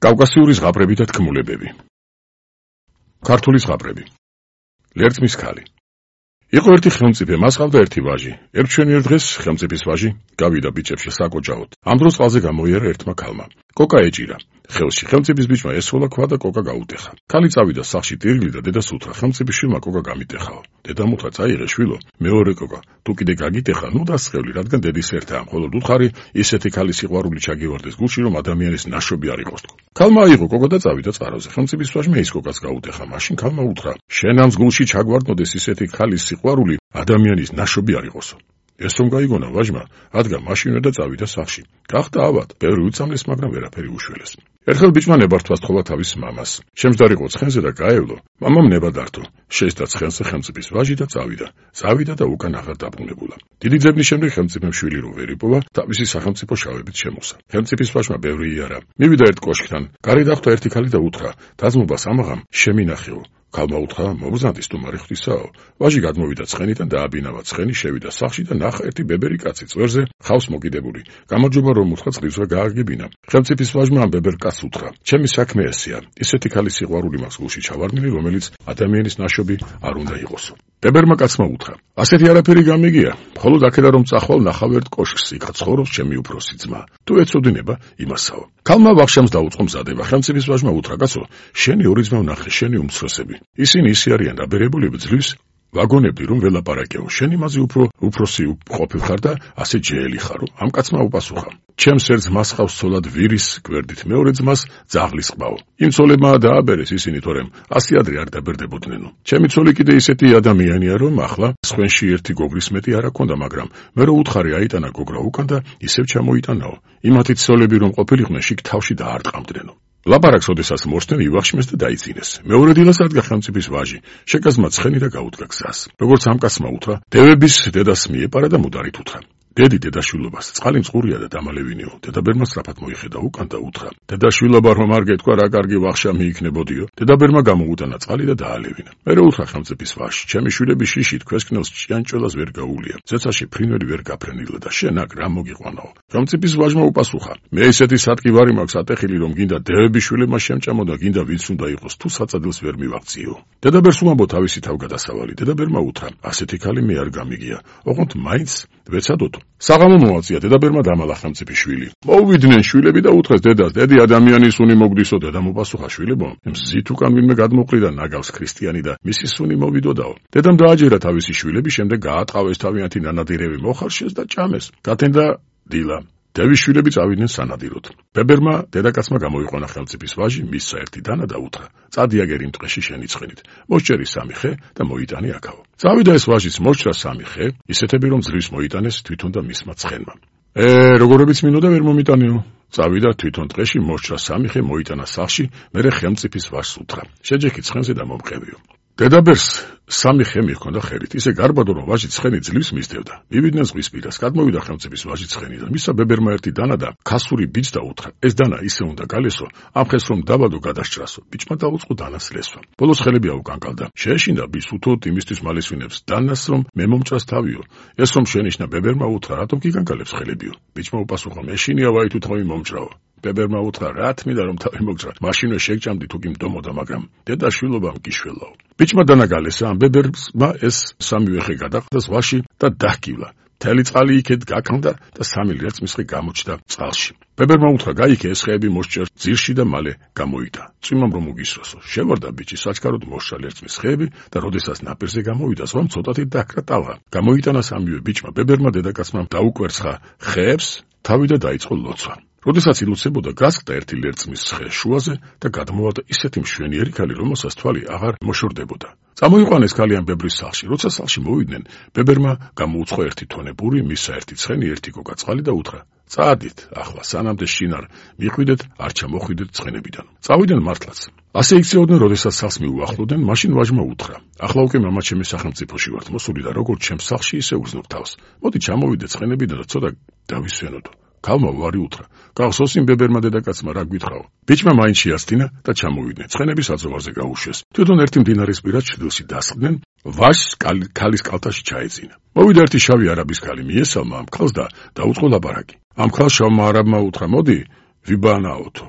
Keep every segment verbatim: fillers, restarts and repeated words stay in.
კავკასიური ზღაპრები და თქმულებები. ქართული ზღაპრები. ლერწმის ქალი. იყო ერთი ხელმწიფე, მას ჰყავდა ერთი ვაჟი. ერთ მშვენიერ დღეს ხელმწიფის ვაჟი გავიდა ბიჭებში საკოჭაოდ. ამ დროს წყალზე გამოიარა ერთმა ქალმა. კოკა ეჭირა. ხელში ხელმწიფის ბიჭმა ესვლა ქვა და კოკა გაუტეხა. ქალი წავიდა სახლში ტირგლი და დედას უთხრა: ხელმწიფის შვილმა კოკა გამიტეხაო. დედამ უთხრა: წაიღე შვილო, მეორე კოკა, თუ კიდე გაგიტეხა, ნუ დასწრევი, რადგან დედის ერთაა, მხოლოდ უთხარი ისეთი ქალის სიყვარული ჩაგივარდეს გულში, რომ ადამიანის ნაშობი არ იყოს. ქალმა აიღო კოკა და წავიდა წყაროზე. ხელმწიფის ვაჟმა ის კოკას გაუტეხა. მაშინ ქალმა უთხრა: შენ ამ გულში ჩაგვარდნოდეს ისეთი ქალის სიყვარული, ადამიანის ნაშობი არ იყოსო. ეს რომ გაიგონა ვაჟმა, ადგა მაშინვე და წავიდა სახლში. გახდა ავად, ბევრი უწამლეს, მაგრამ ვერაფერი უშველეს. ერთხელ ბიჭმა ნებართვა სთხოვა თავის მამას. შემჯდარიყო ცხენზე და გაევლო. მამამ ნება დართო. შეესდა ცხენზე ხელმწიფის ვაჟი და წავიდა. წავიდა და უკან აღარ დაბრუნებულა. დიდი ძებნის შემდეგ ხელმწიფემ შვილი რო ვერ იპოვა, თავისი სახელმწიფო შავებით შემოსა. ხელმწიფის ვაჟმა ბევრი იარა. მივიდა ერთ კოშკთან, გარეთ დახვდა ერთი ქალი და უთხრა: დაძმობა სამაღამ, შემინახეო. ქალმა უთხრა: მოგზანდის თუ მარი ღვთისაო. ვაჟი გადმოვიდა ცხენიდან და აბინავა ცხენი, შევიდა სახლში და ნახა ერთი ბებერი კაცი წვერზე ხავს მოკიდებული. გამარჯობა რომ უთხრა წყლივსა გააგებინა. ხელმწიფის ვაჟმა ამ ბებერ კაცს უთხრა: ჩემი საქმე ესეა. ისეთი ქალის სიყვარული მაქვს გულში ჩავარდნილი, რომელიც ადამიანის ნაშობი არ უნდა იყოსო. ბებერმა კაცმა უთხრა: ასეთი არაფერი გამიგია. მხოლოდ აქედან რომ წახვალ ნახავ ერთ კოშკს, იქ ცხოვრობს ჩემი უფროსი ძმა. თუ ეცოდინება, იმასაო. ქალმა ვახშამს დაუწყო მზადება. ხელმწიფის ვაჟმა უთხრა: კაცო, შენი ორი ძმა ვნახე, შენი უმცროსები. ისინი ისე არიან დაბერებულები ძლივს ვაგონები რომ ველაპარაკეო. შენი მაზე უფრო უფროსი ყოფილ ხარ და ასე ჯეელი ხარო. ამ კაცმა უპასუხა: ჩემს ერთ ძმას ხავს ცოლად ვირის გვერდით, მეორე ძმას ძაღლის ყბაო. იმ ცოლებმა დააბერეს ისინი, თორემ ასე ადრე არ დაბერდებოდნენ. ჩემი ცოლი კიდე ისეთი ადამიანია, რომ ახლა სხვენში ერთი გოგრის მეტი არ აქონდა, მაგრამ მე რო უთხარი აიტანა გოგრა უკან და ისევ ჩამოიტანაო. იმათი ცოლები რომ ყოფილიყვნენ, შიგ თავში დაარტყამდნენო. ლაპარაკს ოდესას მოხსნენ ივახშმეს და დაიწინეს. მეორე დილას ადგა ხელმწიფის ვაჟი, შეკაზმა ცხენი და გაუდგა გზას. როგორც ამ კაცმა უთხრა, დევების დედას მიეპარა და მუდარით უთხრა: დედი დედაშვილობას, წყალი მწყურია და დამალევინიო. დედაბერმა სწრაფად მოიხედა უკან და უთხრა: დედაშვილობა რომ არ გეთქვა, რა კარგი ვახშა მიიქნებოდიო. დედაბერმა გამოუტანა წყალი და დაალევინა. მერე უთხრა ხელმწიფის ვაჟს: ჩემი შვილები შიში თქვესკნელს ჭიანჭველას ვერ გაუვლია. ზეცაში ფრინველი ვერ გაფრენილა და შენ აქ რა მოგიყვანაო. ხელმწიფის ვაჟმა უპასუხა: მე ესეთი სატკივარი მაქვს ატეხილი, რომ გინდა დევების შვილებმა შემჭამო და გინდა ვინც უნდა იყოს, თუ საწადილს ვერ მივაღწიო. დედაბერს უმამბო თავისი თავგადასავალი. დედაბერმა უთხრა: ასეთი ქალი მე არ გამიგია. ოღონდ მაინც ვეცადოთ. საღამო მოაწია. დედაბერმა დამალა ხელმწიფის შვილი. მოვიდნენ შვილები და უთხრეს დედას: დედი ადამიანის სუნი მოგდისო. დედამ უპასუხა: შვილებო, მზით უკან ვინმე გადმოყრიდა ნაგავს ქრისტიანი და მისი სუნი მოვიდოდაო. დედამ დააჯერა თავისი შვილები, შემდეგ გაატყავეს თავიანთი ნანადირევი მოხარშეს და ჭამეს. გათენდა დილა. დევის შვილები წავიდნენ სანადიროდ. ბებერმა დედაკაცმა გამოიყვანა ხელმწიფის ვაჟი, მისცა ერთი დანა და უთხრა: წადიაგერ იმ ტყეში შენი ცხენით. მოსჭერი სამი ხე და მოიტანე აქაო. წავიდა ეს ვაჟიც მოსჭრა სამი ხე, ისეთები რომ ძლივს მოიტანეს თვითონ და მისმა ცხენმა. ე, როგორებიც მინოდა ვერ მომიტანეო. წავიდა თვითონ ტყეში, მოსჭრა სამი ხე, მოიტანა სახლში, მერე ხელმწიფის ვაჟს უთხრა: შეჯექი ცხენზე და მომყევიო. დედაბერს სამი ხე მიჰქონდა ხელით, ისე გარბადო რომ ვაჟი ცხენი ძლივს მისდევდა. მივიდნენ ზღვის პირას, გადმოვიდა ხელმწიფის ვაჟი ცხენიდან, მისცა ბებერმა ერთი დანა და ქასური ბიჭს და უთხრა: ეს დანა ისე უნდა გალესო, ამ ხეს რომ დაბადო გადასჭრასო. ბიჭმა დაუწყო დანას ლესვა. ბოლოს ხელები აუკანკალდა. შეეშინდა ბიჭს უთოდ იმისთვის მალესვინებს დანას, რომ მე მომჭრას თავიო. ეს რომ შენიშნა ბებერმა უთხრა: რატომ გიგანკალებს ხელებიო? ბიჭმა უპასუხა: მეშინია ვაი თუ თავი მომჭრაო. ბებერმა უთხრა: რა თმიდა რომ თავი მოგჭრა, მაშინვე შეგჭამდი თუ კი მდომოდა, მაგრამ დედა შვილობამ გიშველაო. ბიჭმა დანაგალესა, ამ ბებერმა ეს სამივე ხე გადაყდა ზღვაში და დაჰკივლა. მთელი წყალი იქეთ გაქონდა და სამი ლერწმისხე გამოჩნდა წყალში. ბებერმა უთხრა: გაიქე ეს ხეები მოსჭერ ძირში და მალე გამოიდა. წვიმამ რომ უგისროსო. შევარდა ბიჭი საჩქაროდ მოსჭრა ლერწმის ხეები და როდესაც ნაპირზე გამოვიდა, ზღვამ ცოტათი დაჰკრა ტალღა. გამოიტანა სამივე ბიჭმა. ბებერმა დედაკაცმა დაუკვერცხა ხეებს თავი და დაიწყო ლოცვა. როდესაც ილოცებოდა, გასკდა ერთი ლერწმის ხე შუაზე და გადმოვარდა ისეთი მშვენიერი ქალი, რომელსაც თვალი აღარ მოშორდებოდა. წამოიყვანეს ქალი ამ ბებრის სახლში. როცა სახლში მოვიდნენ, ბებერმა გამოუცხო ერთი თონე პური, მისცა ერთი ცხენი, ერთი კოკა წყალი და უთხრა: წადით, ახლა სანამდე შინ არ მიხვიდეთ, არ ჩამოხვიდეთ ცხენებიდან. წავიდნენ მართლაც. ასე იქცეოდნენ, როდესაც სახლს მიუახლოვდნენ, მაშინ ვაჟმა უთხრა: ახლა უკვე მამაჩემი სახელმწიფოში ვართ მოსული და როგორც ჩემს სახლში, ისე უგზნობ თავს. მოდი ჩამოვიდეთ ცხენებიდან და ცოტა დავისვენოდო. ქალმა ვარი უთხრა: გახსოვს იმ ბებერმა დედაკაცმა რა გვითხრაო? ბიჭმა მაინც შეასწინა და ჩამოვიდნენ. ცხენები საძოვარზე გაუშვეს. თვითონ ერთი მდინარის პირას ჩრდილში დასხდნენ, ვაჟს ქალის კალთაში ჩაეძინა. მოვიდა ერთი შავი არაბის ქალი, მიესალმა ამ ქალს და დაუწყო ლაპარაკი. ამ ქალს შავმა არაბმა უთხრა: მოდი ვიბანაოთო.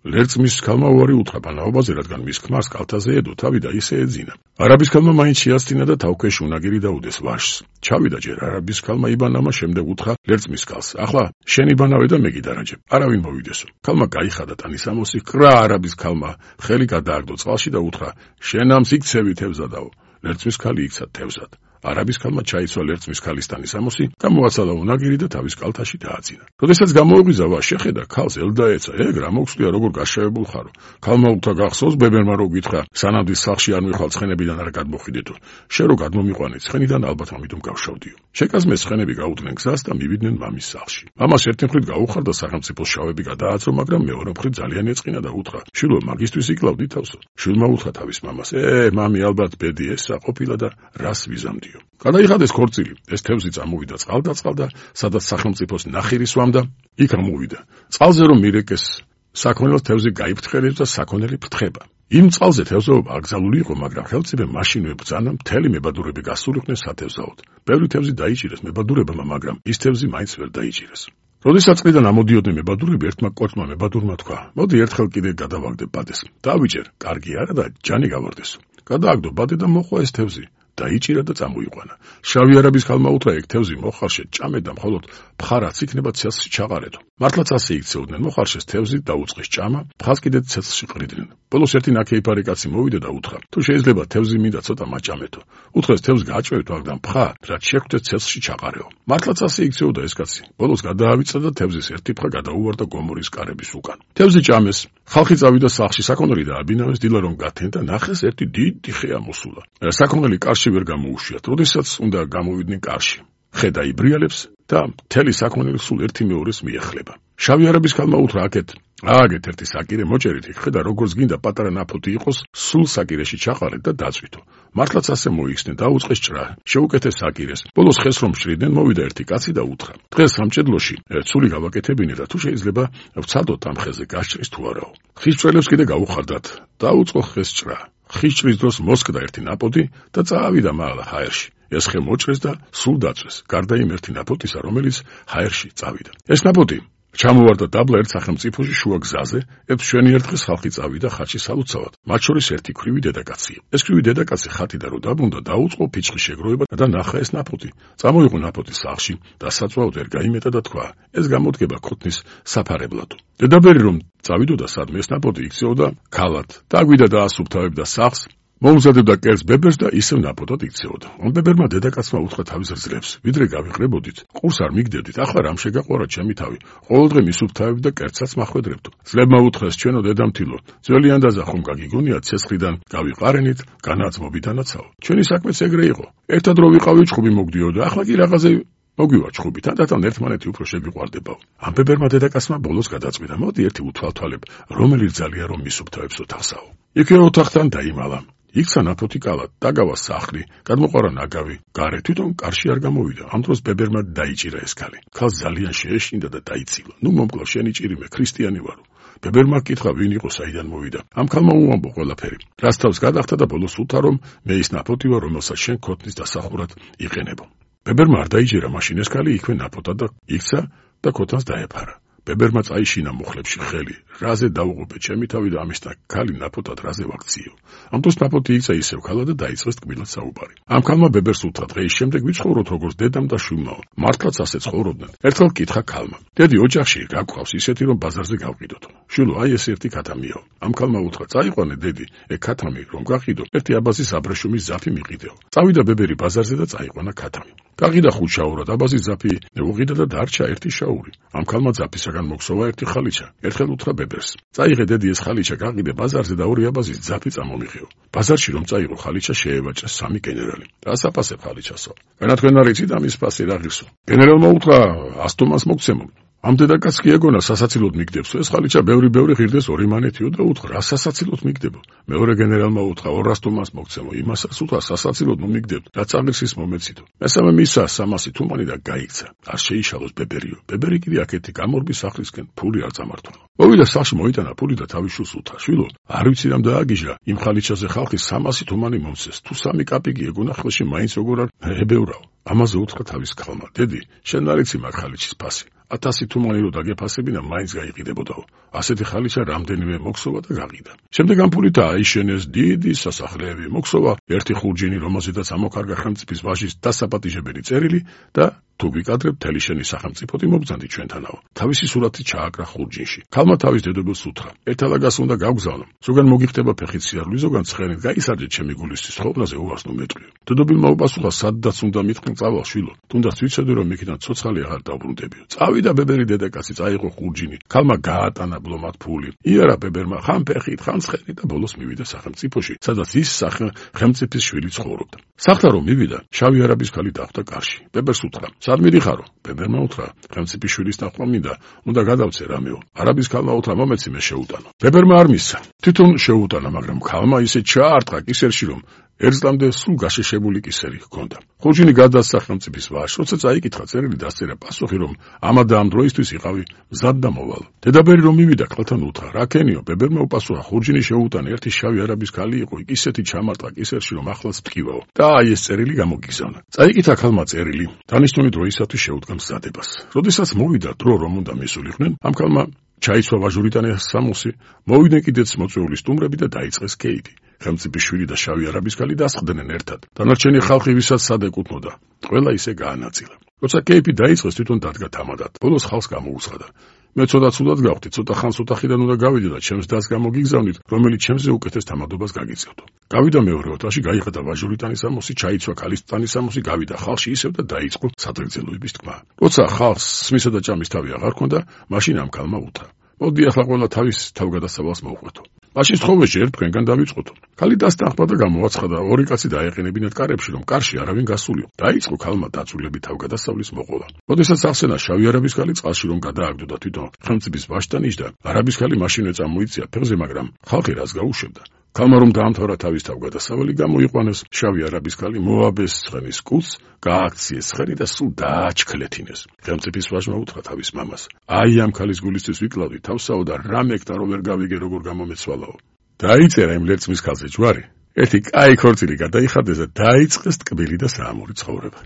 ლერწმის ქალმა უარი უთხრა პანაობაზე, რადგან მის ქმარს კალთაზე ედო თავი და ისე ეძინა. არაბის ქალმა მაინც შეასწინა და თავქვეშ უნაგირი დაუდეს ვაშს. ჩავიდა ჯერ არაბის ქალმა იბანამა, შემდეგ უთხრა ლერწმის ქალს: ახლა შენ იბანავე და მე გიდარაჯებ, არავინ მოვიდესო. ქალმა გაიხადა ტანისამოსი, კრა არაბის ქალმა ხელი გადააგდო წყალში და უთხრა: შენ ამს იქცევი თევზადაო. ლერწმის ქალი იქცა თევზად. არაბის ქალმა ჩაიცვა ლერწმის ქალის ტანისამოსი და მოაცალა უნაგირი და თავის კალთაში დააძინა. როდესაც გამოეღვიძა ვაშს, შეხედა ქალს ელდაეცა: ეგ რა მოგწვია, როგორ გაშავებულ ხარო. ქალმა უთხრა: გახსოვს ბებერმა რო გითხრა, სანამ სახლში არ მიხვალ ცხენებიდან არ გადმოხვიდეთო. შენ რო გადმომიყვანე ცხენიდან, ალბათ ამიტომ გავშავდიო. შეკაზმეს ცხენები გაუდგნენ გზას და მივიდნენ მამის სახლში. მამას ერთი მხრით გაუხარდა სახელმწიფოს შავები გადააცრო, მაგრამ მეორე მხრით ძალიან ეწყინა და უთხრა: შვილო, მაგისტვის იკლავდი თავსო. შვილმა უთხრა თავის მამას: ე, მამი, ალბათ ბედი ესა ყოფილა და რას ვიზამდი. გადაიხადეს ქორწილი, ეს თევზი წამოვიდა წყალდაწყალდა, სადაც სახელმწიფოს ნახირი სვამდა, იქ ამოვიდა. წყალზე რომ მირეკეს, საქონელს თევზი გაიფრთხილებს და საქონელი ფრთხება. იმ წყალზე თევზაობა აკრძალული იყო, მაგრამ ხელმწიფე მაშინვე ბრძანა მთელი მებადურები გასულიყვნენ სათევზაოდ. ბევრი თევზი დაიჭირეს მებადურებმა, მაგრამ ის თევზი მაინც ვერ დაიჭირეს. როდესაც წყლიდან ამოდიოდნენ მებადურები, ერთმა კოჭმა მებადურმა თქვა: მოდი ერთხელ კიდე გადავაგდე ბადეს. დავიჭერ, კარგი არა და ჯანი გავარდესო. გადააგდო ბადე და მოყვა ეს თევზი. დაიჭირა და წამოიყვანა. შავი არაბის ქალმა უთხრა: ეგ თევზი მოხარშე ჭამე და მხოლოდ ფხარაც იქნება ცეცხლში ჩაყარეთო. მართლაც ასე იქცეოდნენ, მოხარშეს თევზი დაუწყეს ჭამა, ფხას კიდე ცეცხლში ყრიდნენ. ბოლოს ერთი ნაქეიფარი კაცი მოვიდა და უთხრა: თუ შეიძლება თევზი მინდა ცოტა მაჭამეთო. უთხრეს: თევზს გააჭვევით, მაგრამ ფხა რაც შეხვდეთ ცეცხლში ჩაყარეო. მართლაც ასე იქცეოდა ეს კაცი. ბოლოს გადაავიწყდა და თევზის ერთი ფხა გადაუვარდა გომორის კარების უკან. თევზი ჭამეს. ხალხი წავიდა სახლში, საქონელი დააბინავეს, დილა რომ გათენ და ნახეს ერთი დიდი ხე ამოსულა. საქონელი კარში ვერ გამოუშვიათ, როდესაც უნდა გამოვიდნენ კარში. ხე დაიბრიალებს და მთელი საქონელი სულ ერთი მეორეს მიეხლება. შავი არაბის ქალმა უთხრა: აკეთ, ააგეთ ერთი საკირე, მოჭერით იქ ხე და როგორც გინდა პატარა ნაფოთი იყოს, სულ საკირეში ჩაყარეთ და დაწვითო. მართლაც ასე მოიხსნენ, დაუწყეს ჭრა, შეუკეთეს საკირეს. ბოლოს ხეს რომ შრიდნენ, მოვიდა ერთი კაცი და უთხრა: დღეს სამჭედლოში ცული გავაკეთებინე და თუ შეიძლება ვცადოთ ამ ხეზე გასჭრის თუ არაო. ხის ჭრელებს კიდე გაუხარდათ. დაუწყო ხეს ჭრა. ხის ჭრის დროს მოსკდა ერთი ნაპოტი და წაავიდა მაღლა ჰაერში. ეს ხე მოჭრეს და სულ დაწვეს, გარდა იმ ერთი ნაპოტისა, რომელიც ჰაერში წავიდა. ეს ნაპოტი ჩამოვარდა დაბლა ერთ სახელმწიფოში შუა გზაზე, ერთ მშვენიერ დღეს ხალხი წავიდა ხატში სალოცავად. მათ შორის ერთი ქვრივი დედაკაცია. ეს ქვრივი დედაკაცი ხატიდან რო დაბრუნდა, დაუწყო ფიჭხი შეგროვება და ნახა ეს ნაპოტი. წამოიღო ნაპოტი სახლში და საწვავად ვერ გაიმეტა და თქვა: ეს გამოდგება ქოთნის საფარებლადო. დედაბერი რომ წავიდოდა სადმე, ეს ნაპოტი იქცეოდა ქალად. დაგვიდა და ასუფთავებდა სახლს. მოუმზადებდა კერძ ბებერს და ისევ ნაპოტად იქცეოდა. ამ ბებერმა დედაკაცმა უთხრა თავის რძლებს: ვიდრე გავიყრებოდით, ყურს არ მიგდებდით, ახლა რამ შეგაყვარა ჩემი თავი? ყოველდღე მისუფთავებ და კერძსაც მახვედრებდო. ძლებმა უთხრეს: ჩვენო დედამთილო, ძველი ანდაზა ხომ გაგიგონია ცეცხლიდან გავიყარენით, განაცმობიდანაცაო. ჩვენი საქმეც ეგრე იყო. ერთად რო ვიყავი, ჩხუბი მოგდიოდა, ახლა კი რაღაცე მოგივა ჩხუბი, თანდათან ერთმანეთი უფრო შევიყვარდებაო. ამ ბებერმა დედაკაცმა ბოლოს გადაწყვიტა: მოდი ერთი უთვალთვალებ, რომელი რძალია რომ მისუფთავებსო თახსაო. იქე ოთახთან დაიმალა. იქცა ნაფოთი კალად, დაგავა სახლი, გადმოყარა ნაგავი, გარე თვითონ კარში არ გამოვიდა. ამ დროს ბებერმა დაიჭირა ეს ქალი. ქალს ძალიან შეეშინდა და დაიცილა. ნუ მომკლავ, შენი ჭირიმე, ქრისტიანი ვარო. ბებერმა კითხა, ვინ იყო, საიდან მოვიდა. ამ ქალმა უამბო ყველაფერი. რას თავს გადახდა და ბოლოს უთხრა, რომ მე ის ნაფოთი ვარ, რომელსაც შენ ქოთნის დასახურად იყენებო. ბებერმა არ დაიჭირა მაშინ ეს ქალი, იქვე ნაფოთად და იქცა და ქოთანს დაეფარა. ბებერმა წაიშინა მუხლებში ხელი. რაზე დაუღობე ჩემი თავი და ამის და ქალი ნაფოთად რაზე ვაქციო. ამ დროს ნაფოთი იქცა ისევ ქალად და დაიწყეს თქმილად საუბარი. ამ ქალმა ბებერს უთხრა: დღეის შემდეგ ვიცხოვროთ როგორც დედამ და შვილმაო. მართლაც ასე ცხოვრობდნენ. ერთხელ კითხა ქალმა: დედი, ოჯახში გაგყავს ისეთი რომ ბაზარზე გავყიდოთ. შვილო, აი ეს ერთი ქათამიაო. ამ ქალმა უთხრა: წაიყვანე დედი, ეგ ქათამი რომ გაყიდო, ერთი აბაზის აბრეშუმის ზაფი მიყიდეო. წავიდა ბებერი ბაზარზე და წაიყვანა ქათამი. გაღიდა ხუთ შაურად, აბაზის ზაფი უყიდა და დარჩა ერთი შაური. ამ ქალმა ზაფისაგან მოგსოვა ერთი ხალიჩა. ერთხელ უთხრა ბებერს: წაიღე დედი ეს ხალიჩა, გაყიდე ბაზარზე და ორი აბაზის ზაფი წამომიღეო. ბაზარში რომ წაიღო ხალიჩა, შეევაჭა სამი გენერალი. რას აფასებ ხალიჩასო? განა თქვენ არ იცით ამის ფასი რა ღირსო? გენერალმა უთხრა: ასტომას მოგცემო. ამ დედაკაც კი ეგონა სასაცილოდ მიგდებსო, ეს ხალიჩა ბევრი-ბევრი ღირდეს ორი მანეთიო და უთხრა: რა სასაცილოდ მიგდებო? მეორე გენერალმა უთხრა: ორას თომას მოგცემო. იმასაც უთხრა: სასაცილოდ ნუ მიგდებთ, რაც აღირსის მომეციდო. მესამე მისა სამასი თუმანი და გაიქცა. არ შეიშალოს ბებერიო. ბებერი კიდე აქეთი გამორბის სახლისკენ ფული არ წამართვანო. მოვიდა სახლში, მოიტანა ფული და თავის შვილს უთხრა: შვილო, არ ვიცი რამ დააგიჟა, იმ ხალიჩაზე ხალხი სამასი თუმანი მომცეს. თუ სამი კაპიკი ეგონა ხელში, მაინც როგორ არ ებევრაო. ამაზე უთხრა თავის ქალმა: დედი, შენ არ იცი მაგ ხალიჩის ფასი. ათასი თუმანი რო დაგეფასებინა, მაინც გაიყიდებოდაო. ასეთი ხალიჩა რამდენიმე მოქსოვა და გაყიდა. შემდეგ ამ ფულით აიშენეს დიდი სასახლეები, მოქსოვა ერთი ხურჯინი, რომელზედაც ამოქარგა ხელმწიფის ვაჟის დასაპატიჟებელი წერილი და თუ ვიკადრებ მთელი შენი სახელმწიფოთი მობრძანდი ჩვენთანაო. თავისი სურათი ჩააკრა ხურჯინში. ქალმა თავის დედოფალს უთხრა: ერთალაგას უნდა გავგზავნო. ზოგან მოგიხდება ფეხით სიარული, ზოგან ცხენით, გაისარჯე ჩემი გულისთვის ხოვნაზე უარს ნუ მეტყვიო. დედოფალმა უპასუხა: სადაც უნდა მithყნ წავალ შვილო. თუნდაც ვიცოდე რომ იქიდან ცოცხალი აღარ დავბრუნდებიო. წავიდა ბებერი დედაკაცი, წაიღო ხურჯინი. ქალმა გაატანა ბლომად ფული. იარა ბებერმა ხან ფეხით, ხან ცხენით და ბოლოს მივიდა სახელმწიფოში, სადაც ის სახელმწიფის შვილი ცხოვრობდა. სახლა რომ მივიდა, შავი არაბის ქალი დახვდა კარში. ბებერს უთხრა: სად მიდიხარო? ბებერმა უთხრა: ხელმწიფის შვილის ნახვა მინდა, უნდა გადავწე რამეო. არაბის ქალმა უთხრა: მომეცი მე შეუტანო. ბებერმა არ მისცა. თვითონ შეუტანა, მაგრამ ქალმა ისე ჩაარტყა კისერში, რომ ერთლამდე სულ გაშეშებული კისერი ჰქონდა. ხურჯინი გადასცა ხელმწიფის ვაჟს, როცა წაიკითხა წერილი, დასწერა პასუხი, რომ ამა და ამ დროისთვის იყავი მზად და მოვალ. დედაბერი რომ მივიდა, ქალთან უთხრა: რა ქენიო? ბებერმა უპასუხა: ხურჯინი შეუტანა, ერთი შავი არაბის ქალი იყო, ისეთი ჩამარტყა კისერში, რომ ახლაც ვტკივაო. და აი ეს წერილი გამოგიგზავნა. წაიკითხა ქალმა წერილი, დანიშნული დროისათვის შეუდგა მზადებას. როდესაც მოვიდა დრო, რომ უნდა მისულიყვნენ, ამ ქალმა ჩაიცვა ვაჟურიტანი სამოსი, მოვიდნენ კიდეც მოწვეული სტუმრები და დაიწყეს კეიფი. ხელმწიფის შვილი და შავი არაბის ქალი დასხდნენ ერთად. დანარჩენი ხალხი ვისაც სად ეკუთვნოდა, ყველა ისე გაანაწილა. როცა კეიფი დაიწყეს, თვითონ დადგა თამადად. ბოლოს ხალხს გამოუცხადა: მე ცოტა ცუდად გავხდი, ცოტა ხანს ოთახიდან უნდა გავიდე და ჩემს დას გამოგიგზავნით, რომელიც ჩემზე უკეთეს თამადობას გაგიწევდო. გავიდა მეორე ოთახში, გაიხადა ვაჟურიტანის სამოსი, ჩაიცვა ქალისტანის სამოსი, გავიდა ხალხში ისევ და დაიწყო სადღეგრძელოების თქმა. როცა ხალხს სმისა და ჭამის თავი აღარ ჰქონდა, მაშინ ამ ქალმა უთხრა: მოდი ახლა ყველა თავის თავგადასავალს მოვყვეთო. მაშინ სთხოვეში ერთ თქვენგან დავიწყოთ. ქალი დასთანხმდა და გამოაცხადა, ორი კაცი დაეყენებინათ კარებში, რომ კარში არავინ გასულიო. დაიწყო ქალმა დაწვრილები თავგადასავლის მოყოლა. როდესაც ახსენა შავი არაბის ქალი წყალში რომ გადააგდო და თვითონ ხელმწიფის ვაჟთან იჯდა, არაბის ქალი მაშინვე წამოიწია ფეხზე, მაგრამ ხალხი რას გაუშვებდა. ქალმა რომ დაამთავრა თავის თავგადასავალი, გამოიყვანეს შავი არაბის ქალი, მოაბეს ცხენის კუს, გააქციეს ცხენი და სულ დააჩქლეთინეს. ხელმწიფის ვაჟმა უთხრა თავის მამას: აი ამ ქალის გულისთვის ვიკლავდი თავსაო და რა მეკთა რომ ვერ გავიგე როგორ გამომეცვალაო. დაიწერა იმ ლერწმის ქალზე ჯვარი, ერთი კაი ქორწილი გადაიხადეს და დაიწყეს ტკბილი და საამური ცხოვრება.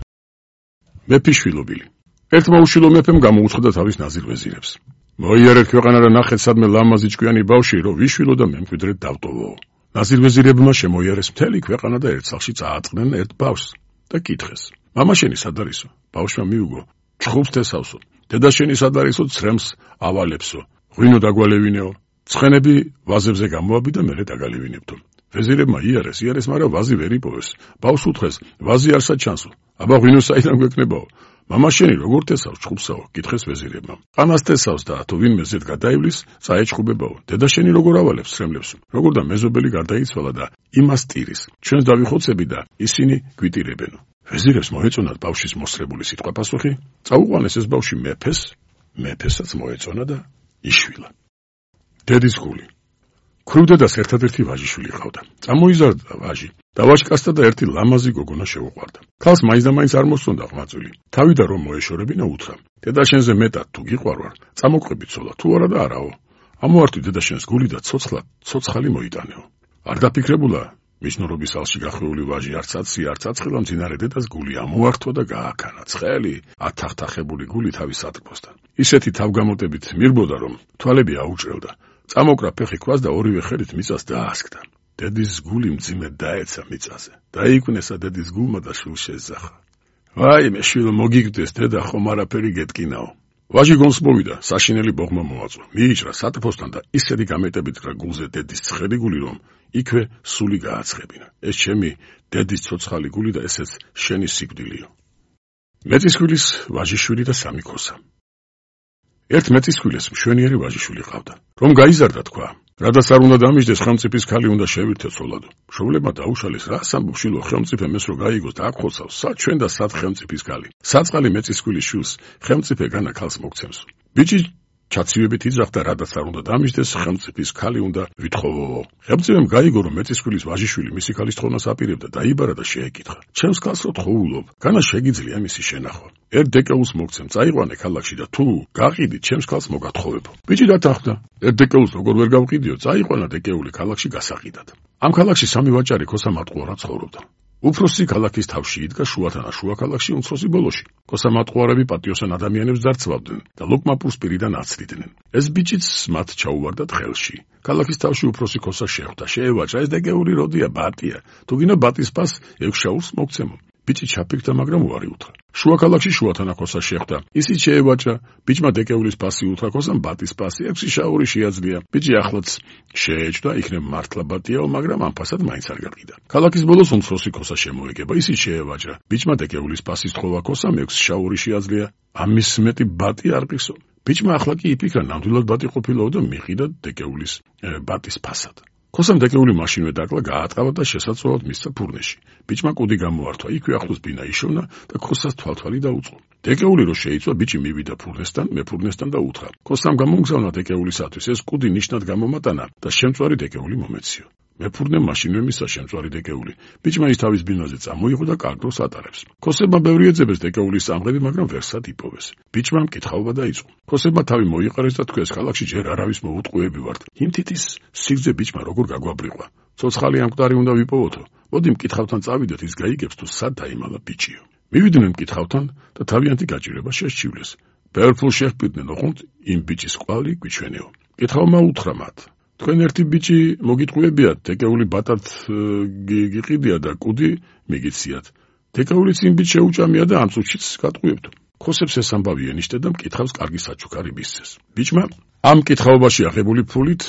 მეფის შვილობილი. ერთმა უშვილო მეფემ გამოუცხადა თავის ნაზირ ვეზირებს: მოიარეთ ქვეყანა და ნახეთ სადმე ლამაზი ჭკვიანი ბავშვი, რომ ვიშვილო და მემკვიდრედ დავტოვო. ნაზირ ვეზირებმა შემოიარეს მთელი ქვეყანა და ერთ სახლში წააწყდნენ ერთ ბავშვს და კითხეს: მამა შენი სად არისო? ბავშვმა მიუგო: ჩხუბს თესავსო. დედა შენი სად არისო? ცრემს ავალებსო. ღვინო დაგვალევინეო. ცხენები ვაზებზე გამოაბი და მერე დაგალევინებთო. ვეზირებმა იარეს, იარეს, მაგრამ ვაზი ვერ იპოვეს. ბავშვს უთხრეს: ვაზი არსა ჩანსო. აბა ღვინო საიდან გვექნებაო? მამა შენი როგორ თესავს ჩხუბსაო? კითხეს ვეზირებმა. ყანას თესავს და თუ ვინმე ზედ გადაივლის, წაეჩხუბებაო. დედა შენი როგორ ავალებს ცრემლებს? როგორ და მეზობელი გარდაიცვალა და იმას ტირის. ჩვენს დავიხოცები და ისინი გვიტირებენო. ვეზირებს მოეწონათ ბავშვის მოსრებული სიტყვა პასუხი, წაუყვანეს ეს ბავშვი მეფეს, მეფესაც მოეწონა და იშვილა. დედის გული. ქრუდედას ერთადერთი ვაჟიშვილი ჰყავდა. წამოიზარდა ვაჟი და ვაჟკაცთა და ერთი ლამაზი გოგონა შეუყვარდა. ქალს მაინც და მაინც არ მოსწონდა ღვაწლი. თავიდა რომ მოეშორებინა უთხრა: დედა შენზე მეტად თუ გიყვარვარ, წამოყვები ცოლა, თუ არა და არაო. ამოართვი დედა შენს გული და ცოცხლად ცოცხალი მოიტანეო. არ დაფიქრებულა? მიშნურობის ალში გახვეული ვაჟი არც აცი, არც აცხელა მძინარე დედას გული ამოართვა და გააქანა. ცხელი, ათახთახებული გული თავის სატრფოსთან. ისეთი თავგამოტებით მირბოდა, რომ თვალები აუჭრევდა. წამოკრა ფეხი ქვას და ორივე ხელით მიწას დაასკდა. დედის გული მძიმედ დაეცა მიწაზე. დაიკვნესა დედის გულმა და შვილს შეეძახა. ვაიმე შვილო, მოგიგდეს დედა, ხომ არაფერი გეტკინაო. ვაჟი გონს მოვიდა, საშინელი ბოღმა მოაწვა. მიიჭრა სატრფოსთან და ისეთი გამეტებით კრა გულზე დედის ცხელი გული, რომ იქვე სული გააცხებინა. ეს ჩემი დედის ცოცხალი გული და ესეც შენი სიკვდილიო. მეწისქვილის ვაჟიშვილი და სამი ქოსა. ერთ მეწისქვილეს მშვენიერი ვაჟიშვილი ჰყავდა. რომ გაიზარდა თქვა, რადგან არ უნდა დამიჯდეს, ხელმწიფის ქალი უნდა შევირთე ცოლადო. მშობლებმა დაუშალეს, რას ამბობ შვილო, ხელმწიფემ ეს რო გაიგოს და აქ ხოცავს, სად ჩვენ და სად ხელმწიფის ქალი. საწყალი მეწისქვილის შვილს ხელმწიფე განა ქალს მოგცემს. ბიჭი ჩაცივებით იძახდა, რადგან არ უნდა დამიჯდეს, ხელმწიფის ქალი უნდა ვითხოვო. ხელმწიფემ გაიგო, რომ მეწისქვილის ვაჟიშვილი მისი ქალის თხოვნას აპირებდა, დაიბარა და შეეკითხა: ჩემს ქალს რო თხოვულობ, განა შეგიძლია მისი შენახვა. ერთ დეკეულს მოგცემ, წაიყვანე ქალაქში და თუ გაყიდით, ჩემს ქალს მოგათხოვებო. ბიჭი დათანხმდა. ერთ დეკეულს როგორ ვერ გავყიდიო, წაიყვანა დეკეული ქალაქში გასაყიდად. ამ ქალაქში სამი ვაჭარი ქოსა მატყუარა ცხოვრობდა. უფროსი ქალაქის თავში იდგა შუათანა შუა ქალაქში უმცროსი ბოლოში. კოსა მატყუარები პატიოსან ადამიანებს ძარცვავდნენ და ლოკმაპურს პირიდან აცდიდნენ. ეს ბიჭიც მათ ჩაუვარდათ ხელში. ქალაქის თავში უფროსი კოსა შეხვდა, შეევაჭრა, ეს დეგეული როდია, ბატია. თუ გინდა ბატის პას ექვს შაურს მოგცემო. ბიჭი ჩაფიქრდა, მაგრამ უარი უთხრა. შუა ქალაქში შუათანა კოსა შეხვდა, ისიც შეევაჭრა, ბიჭმა დეგეულის პასი უთხრა, კოსამ ბატის პასი, ექვსი შაური შეაძლია. ბიჭი ახლაც შეეჭდა, იქნებ მართლა ბატიაო, მაგრამ ამ ფასად მაინც არ გაყიდა. ქალაქის ბოლოს უმცროსი კოსა შემოეგება, ისიც შეევაჭრა. ბიჭმა დეგეულის პასის თხოვა კოსამ ექვსი შაური შეაძლია. ამის მეტი ბატი არ ყისო. ბიჭმა ახლა კი იფიქრა, ნამდვილად ბატი ყოფილაო და მიყიდა დეგეულის ბატის ფასად. კოსამ დეგეული მაშინვე დაკლა, გაატყავა და შესაძლოა მისცა ფურნეში. ბიჭმა კუდი გამოართვა, იქვე ახლოს ბინა იშოვნა და კოსას თვალთვალი დაუწყო. დეგეული რო შეიწვა, ბიჭი მივიდა ფურნესთან, მე ფურნესთან და უთხრა. კოსამ გამომგზავნა დეგეულისათვის, ეს კუდი ნიშნად გამომატანა და შემწვარი დეგეული მომეციო. მე ფურნე მაშინვე მისცა შემწვარი დეგეული. ბიჭმა ის თავის ბინაზე წამოიღო და კარგ დროს ატარებს. კოსებმა ბევრი ეძებეს დეგეულის სამღები, მაგრამ ვერსად იპოვეს. ბიჭმა მკითხაობა დაიწყო. კოსებმა თავი მოიყარეს და თქვეს, ქალაქში ჯერ არავის მოუტყუები ვართ. იმ თითის სიგრძე ბიჭმა როგორ გაგვაბრიყვა. ცოცხალი ამ მკვდარი უნდა ვიპოვოთო. მოდი მკითხავთან წავიდეთ, ის გაიგებს თუ სად დაიმალა ბიჭიო. მივიდნენ მკითხავთან და თავიანთი გაჭირება შესჩივლეს. ბევრ ფულს შეჰპირდნენ, ოღონდ იმ ბიჭის ყვავილი გვიჩვენეო. მკითხავმა უთხრა მათ. თქვენ ერთი ბიჭი მოგიტყუებიათ, დეგეული ბატად გიყიდია და კუდი მიგიციათ. დეგეულიც იმ ბიჭს შეუჭამია და ამ წუთშიც გატყუებთ. კოსებს ეს ამბავი ენიშნე და მკითხავს კარგი საჩუქარი მისცეს. ბიჭმა ამ მკითხაობაში აღებული ფულით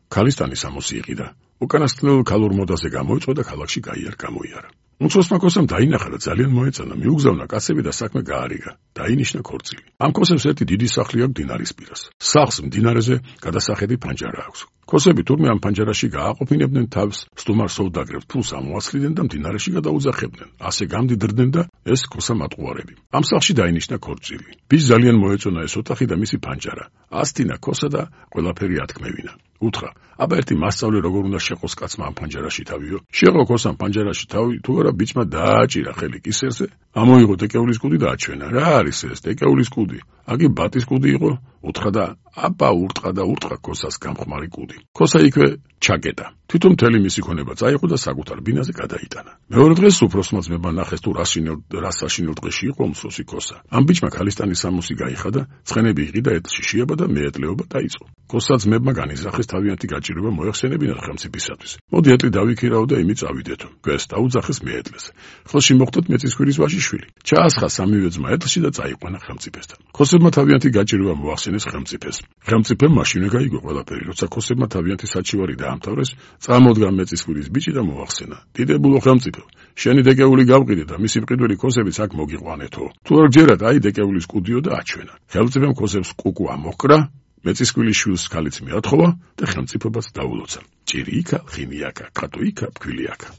ქალისტანი სამოსი იყიდა. უკანასკნელ ქალურ მოდაზე გამოიწვა და ქალაქში გაიარ გამოიარა. უმცროსმა კოსამ დაინახა და ძალიან მოეწონა, მიუგზავნა კაცები და საქმე გაარიგა. დაინიშნა ქორწილი. ამ კოსებს ერთი დიდი სახლი აქვს მდინარის პირას. სახლს მდინარეზე გადასახედი ფანჯარა აქვს. კოსები თურმე ამ ფანჯარაში გააყოფინებდნენ თავს, სტუმარ სოვდაგრებს ფულს ამოასხლიდნენ და მდინარეში გადაუძახებდნენ. ასე გამდიდრდნენ და ეს კოსა მატყუარები. ამ სახლში დაინიშნა ქორწილი. ბიჭს ძალიან მოეწონა ეს ოთახი და მისი ფანჯარა. ასტინა კოსა და ყველაფერი ათქმევინა. უთხრა, აბა ერთი მასწავლე როგორ უნდა შეყოს კაცმა ამ ფანჯარაში თავიო. შეყო კოსამ ფანჯარაში თავი, თუ არა ბიჭმა დააჭირა ხელი კისერზე, ამოიღო დეგეულის კუდი და აჩვენა. რა არის ეს დეგეულის კუდი? აგი ბატის კუდი იყო? უთხრა და აბა ურტყა და ურტყა კოსას გამხმარი კუდი. კოსა იქვე ჩაგეტა. თვითონ მთელი მისი ქონება წაიღო და საკუთარ ბინაზე გადაიტანა. მეორე დღეს უფროსმა ძმებმა ნახეს თუ რა საშინელ დღეში იყო უმცროსი კოსა. ამ ბიჭმა ქალისტანის სამოსი გაიხადა, ცხენები იყიდა ეთლში შეება და მეეტლეობა დაიწყო. კოსა ძმებმა განიზრახეს თავიანთი გაჭირება მოეხსენებინათ ხელმწიფისათვის. მოდი ეტლი დავიქირაო და იმით წავიდეთო. გვეს დაუძახეს მეეტლეს. ხელში მოხდათ მეწისქვრის ვაჟიშვილი. ჩაასხა სამივე ძმა ეტლში და წაიყვანა ხელმწიფესთან. კოსებმა თავიანთი გაჭირება მოახსენეს ხელმწიფეს. ხელმწიფემ მაშინვე გაიგო ყველაფერი, როცა კოსებმა თავიანთი საჩივარი დაამთავრეს, წამოდგა მეწისკვირის ბიჭი და მოახსენა. დიდებულო ხელმწიფო, შენი დეგეული გავყიდე და მისი მყიდველი კოსებიც აქ მოგიყვანეთო. თუ არ გჯერათ, აი დეგეულის კუდიო და აჩვენა. ხელმწიფემ კოსებს კუკუ ამოჰკრა, მეწისკვირის შვილს ქალიც მიათხოვა და ხელმწიფობას დაულოცა. ჭირი იქა, ხინი აქა, კატო იქა, ფქვილი აქა.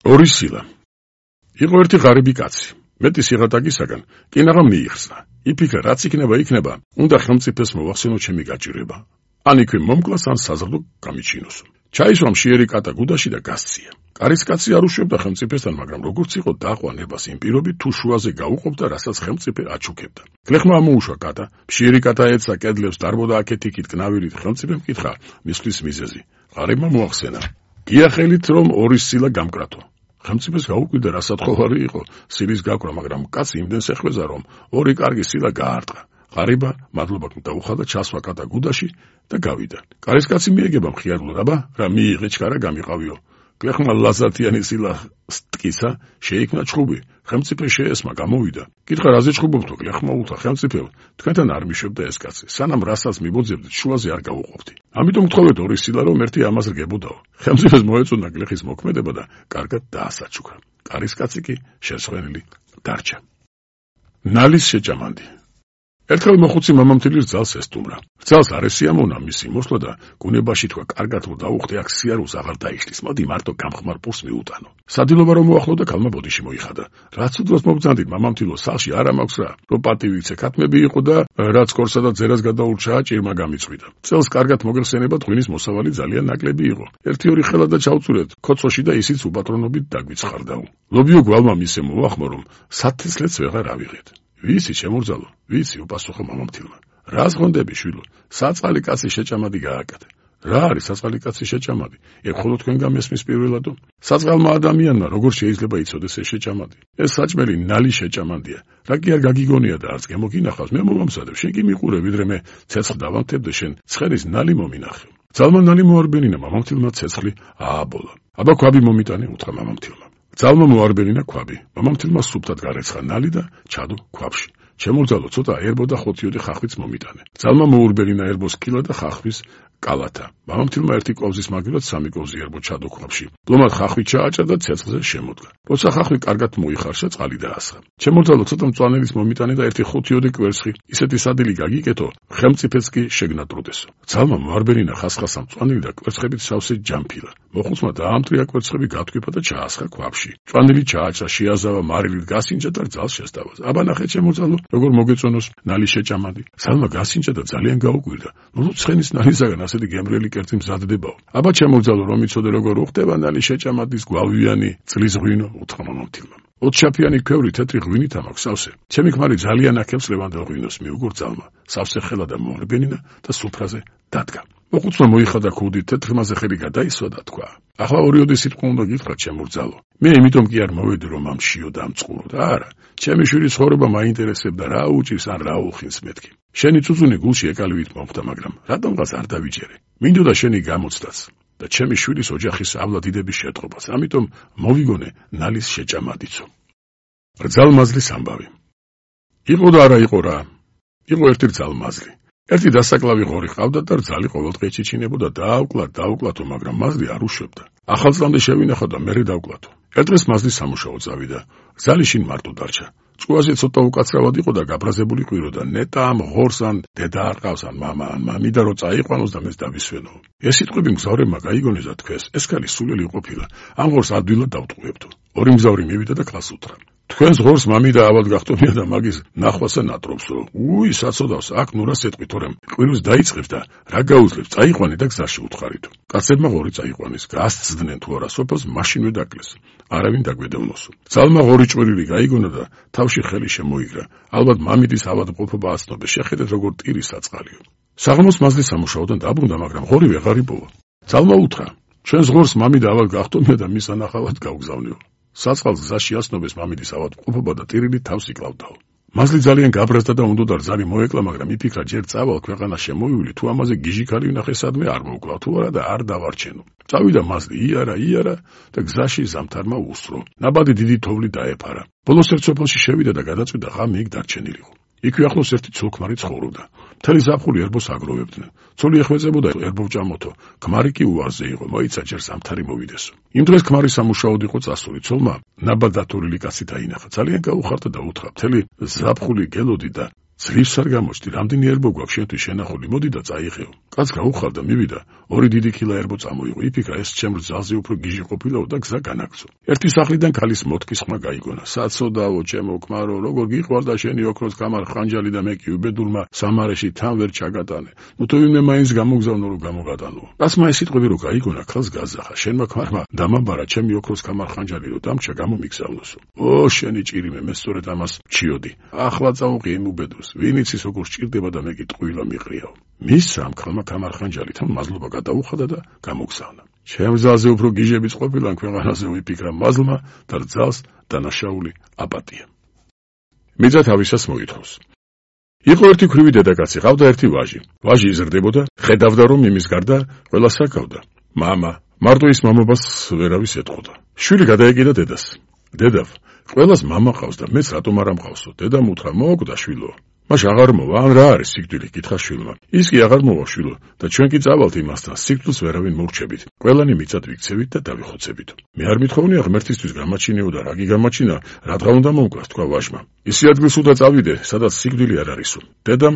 ორი სილა. იყო ერთი ღარიბი კაცი. მეტი სიღატაკისაგან კინაღამ მიიხსნა. იფიქრა, რაც იქნება, იქნება, უნდა ხელმწიფეს მოვახსენო ჩემი გაჭირება. ან იქვე მომკლას, ან საზრდო გამიჩინოს. ჩაისვა მშიერი კატა გუდაში და გასცია. კარისკაცი არ უშვებდა ხელმწიფესთან, მაგრამ როგორც იყო დაყვანებას იმ პირობით, თუ შუაზე გაუყოფდა, რასაც ხელმწიფე აჩუქებდა. გლეხმა ამოუშვა კატა, მშიერი კატა ეცა კედლებს, დარბოდა აქეთ-იქით კნავილით, ხელმწიფემ კითხა მისვლის მიზეზი. ღარიბმა მოახსენა. გიახელით, რომ ორი სილა გამკრათო. ხელმწიფეს გაუკვირდა, რა სათხოვარი იყო სილის გაკვრა, მაგრამ კაცი იმდენს ეხვეზა, რომ ორი კარგი სილა გაარტყა. ღარიბა მადლობა დაუხადა, ჩასვა კატა გუდაში და გავიდა. კარისკაცი მიეგება მხიარულად, აბა რა მიიღე ჩქარა გამიყავიო. გლეხმა ლაზათიანი სილა სტკისა, შეიქმნა ჩხუბი. ხელმწიფე შეესმა, გამოვიდა. კითხა, რაზე ჩხუბობთო? გლეხმა უთხრა, ხელმწიფე, თქვენთან არ მიშვებდა ეს კაცი. სანამ რასაც მიბოძებდით, შუაზე არ გავუყოფდი. ამიტომ გთხოვეთ ორი სილა, რომ ერთი ამას რგებოდაო. ხელმწიფეს მოეწონა გლეხის მოქმედება და კარგად დაასაჩუქრა. კარისკაცი კი შეცვლენილი დარჩა. ნალის შეჭამანდი. ერთხელ მოხუცი მამამთილის ძალს ესტუმრა. ძალს არ ესიამოვნა მისი მოსვლა და გუნებაში თქვა, კარგად რომ დაუხდე, აქ სიარულს აღარ დაიშლის, მოდი მარტო გამხმარ პურს მიუტანო. სადილობა რომ მოახლოვდა, ქალმა ბოდიში მოიხადა. რაც უდროს მობრძანდით, მამამთილო, სახლში არა მაქვს რა. რო პატივიცე ქათმები იყო და რაც კორსა და ძერას გადაურჩა, ჭირმა გამიწვიდა. წელს კარგად მოგეხსენება, ღვინის მოსავალი ძალიან ნაკლები იყო. ერთი ორი ხელა და ჩავწურეთ ქოცოში და ისიც უპატრონობით დაგვიცხარდაო. ლობიო გვალმა მისე მოახმო, რომ სათესლეც ვეღარ ავიღეთ. ვიცი შემორძალო, ვიცი, უპასუხა მამამთილმა. რა ზღონდები, შვილო, საწყალი კაცი შეჭამადი გააკეთე. რა არის საწყალი კაცი შეჭამადი? ეგ მხოლოდ თქვენ გამესმის პირველადო? საწყალმა ადამიანმა როგორ შეიძლება იცოდეს ეს შეჭამადი? ეს საჭმელი ნალი შეჭამანდია. რა კი არ გაგიგონია და არც გემოგინახავს, მე მომამსადებ, შენ კი მიყურე, ვიდრე მე ცეცხლ დავანთებ და შენ ცხერის ნალი მომინახე. ძალმა ნალი მოარბენინა მამამთილმა ცეცხლი ააბოლა. აბა ქვაბი მომიტანე, უთხრა მამამთილმა. ძალმა მოარბენინა ქვაბი. მამამთილმა სუფთად გარეცხა ნალი და ჩადო ქვაბში. შემოძალო ცოტა ერბო და ხოთიოდე ხახვიც მომიტანე. ძალმა მოურბენინა ერბოს კილა და ხახვის კალათა. მამამთილმა ერთი კვავზის მაგილად სამი კვავზი ერბო ჩადო ქვაბში. ლომად ხახვი ჩააჭა და ცეცხლზე შემოდგა. როცა ხახვი კარგად მოიხარშა, წყალი დაასხა. შემოძალო ცოტა მწვანელის მომიტანე და ერთი ხოთიოდე კვერცხი, ისეთი სადილი გაგიკეთო, ხელმწიფეც კი შეგნატროდესო. ძალმა მოარბენინა ხასხასა მწვანელი და კვერცხებით სავსე ჯამფილა. მოხუცმა დაამტრია კვერცხები გათქვიფა და ჩაასხა ქვაბში. მწვანელი ჩააჭა, შეაზავა, მარილით გასინჯა და ძალს შესთავაზა. აბა ნახე შემოძალო, როგორ მოგეწონოს ნალი შეჭამადი. ძალმა გასინჯა და ძალიან გაუკვირდა. ნუ ცხენის ნალისაგან ასეთი გემრიელი კერძი მზადდებაო. აბა შემოძალო, რომ იცოდე როგორ უხდება ნალი შეჭამადის გვავიანი წლის ღვინო, უთხრა მამამთილმა. ოთხშაფიანი ქვევრი თეთრი ღვინით ამაქვს სავსე. ჩემი ქმარი ძალიან აქებს ლევანდელ ღვინოს, მიუგურ ძალმა. სავსე ხელა და მოარბენინა და სუფრაზე დადგა. მოხუცმა მოიხადა ქუდით, თეთრმაზე ხელი გადაისვა და თქვა: ახლა ორიოდე სიტყვა უნდა გითხრათ, შემორძალო. მე იმიტომ კი არ მოვედი, რომ ამ შიო დამწყურო და არა, ჩემი შვილის ცხოვრება მაინტერესებდა, რა უჭირს ან რა უხინს მეთქი. შენი წუწუნი გულში ეკალივით მომხდა, მაგრამ რატომღაც არ დავიჯერე. მინდოდა შენი გამოცდაც და ჩემი შვილის ოჯახის ავლადიდების შეტყობაც, ამიტომ მოვიგონე ნალის შეჭამადიცო. რძალმაზლის ამბავი. იყო და არა იყო რა. იყო ერთი რძალმაზლი. ერთი დასაკლავი ღორი ყავდა და რძალი ყოველდღე ეჩიჩინებოდა დაავკლათ, დაავკლათო, მაგრამ მაზლი არ უშვებდა. ახალწლამდე შევინახო და მერე დავკლათო. ერთ დღეს მაზლი სამუშაო წავიდა. რძალი შინ მარტო დარჩა. წყუაზე ცოტა უკაცრავად იყო და გაბრაზებული ყვიროდა. ნეტა ამ ღორს ან დედა არ ყავს, ან მამა, ან მამიდა რო წაიყვანოს და მეც დავისვენო. ეს სიტყვები მგზავრებმა გაიგონეს და თქვეს, ეს ქალი სულელი ყოფილა. ამ ღორს ადვილად დავტყუებდო. ორი მგზავრი მივიდა და ქალს უთხრა: თქვენს ღორს მამიდა ავად გახტომია და მაგის ნახვასა ნატრობსო. უი, საწოდავს, აქ ნუ რას ეტყვით, თორემ ყვიროს დაიწყებს და რა გაუძლებს, წაიყვანე და გზაში უთხარითო. კაცებმა ღორი წაიყვანეს, გასცდნენ თუ არა სოფელს, მაშინვე დაკლეს. არავინ დაგვედევნოსო. ძალმა ღორი ჭვირილი გაიგონა და თავში ხელი შემოიგრა. ალბათ მამიდის ავადმყოფობა აცნობეს, შეხედეთ როგორ ტირი საწყალიო. საღამოს მაზლი სამუშაოდან დაბრუნდა, მაგრამ ღორი ვეღარ იპოვა. ძალმა უთხრა: ჩვენს ღორს მამიდა ავად გახტომია და მის ანახავად გავგზავნიო. საწყალს გზაში აცნობის მამიდის ავადმყოფობა და ტირილი თავს იკლავდაო. მაზლი ძალიან გაბრაზდა და უნდა და რძალი მოეკლა, მაგრამ იფიქრა ჯერ წავალ ქვეყანა შემოივილი, თუ ამაზე გიჟიქარი ვნახე სადმე არ მოვკლა, თუ არა და არ დავარჩენო. წავიდა მაზლი, იარა, იარა და გზაში ზამთარმა უსწრო. ნაბადი დიდი თოვლი დაეფარა. ბოლოს ერთ სოფელში შევიდა და გადაწვიდა ღამე იქ დარჩენილიყო. იქვე ახლოს ერთი ცოლ-ქმარი ცხოვრობდა. მთელი ზაფხული ერბოს აგროვებდნენ. ცოლი ეხვეწებოდა ერბოვჭამოთო, ქმარი კი უარზე იყო, მოიცა ჯერ ზამთარი მოვიდესო. იმ დღეს ქმარი სამუშაოდ იყო წასული, ცოლმა ნაბად დათვლილი კაცი დაინახა. ძალიან გაუხარდა და უთხრა: მთელი ზაფხული გელოდი და ძლივს არ გამოჩდი, რამდენი ერბო გვაქვს შენთვის შენახული, მოდი და წაიღეო. კაც გაუხარდა, მივიდა, ორი დიდი ქილა ერბო წამოიღო. იფიქრა, ეს ჩემ რძალზე უფრო გიჟი ყოფილაო და გზა განაგზო. ერთი სახლიდან ქალის მოთქის ხმა გაიგონა. საცოდაო, ჩემო ქმარო, როგორ გიყვარდა შენი ოქროს კამარ ხანჯალი და მე კი უბედურმა სამარეში თან ვერ ჩაგატანე. ნუ თუ ვინმე მაინც გამოგზავნო რომ გამოგატანო. კაცმა ეს სიტყვები რო გაიგონა, ქალს გაზახა. შენმა ქმარმა დამაბარა ჩემი ოქროს კამარ ხანჯალი რო დამჩა გამომიგზავნოსო. ო, შენი ჭირიმე, მე სწორედ ამას ჩიოდი. ახლა წაუყი იმ უბედურს. ვინ იცის როგორ სჭირდება და მე კი ტყუილა მიყრიაო. მის ამ ქალმა კამარხანჯალითან მაზლობა გადაუხადა და გამოგზავნა. ჩემ რძალზე უფრო გიჟებიც ყოფილან ქვეყანაზე, ვიფიქრა მაზლმა და რძალს დანაშაული აპატია. მიწა თავისას მოითხოვს. იყო ერთი ქვრივი დედაკაცი, ყავდა ერთი ვაჟი. ვაჟი იზრდებოდა, ხედავდა რომ იმის გარდა ყველას აკავდა. მამა, მარტო ის მამობას ვერავის ეტყოდა. შვილი გადაეკიდა დედას. დედავ, ყველას მამა ყავს და მეც რატომ არ ამყავსო? დედამ უთხრა: მოკვდა შვილო. მაშ აღარ მოვა, ან რა არის სიკვდილი? კითხა შვილმა. ის კი აღარ მოვა შვილო და ჩვენ კი წავალთ იმასთან, სიკვდილს ვერავინ მოვრჩებით. ყველანი მიწად ვიქცევით და დავიხოცებით. მე არ მithოვნია ღმერთისთვის გამაჩინეო და რა გიგამაჩინა, რადგან უნდა მომკვას, თქვა ვაჟმა. ისი ადგილს უნდა წავიდე, სადაც სიკვდილი არ არისო. დედამ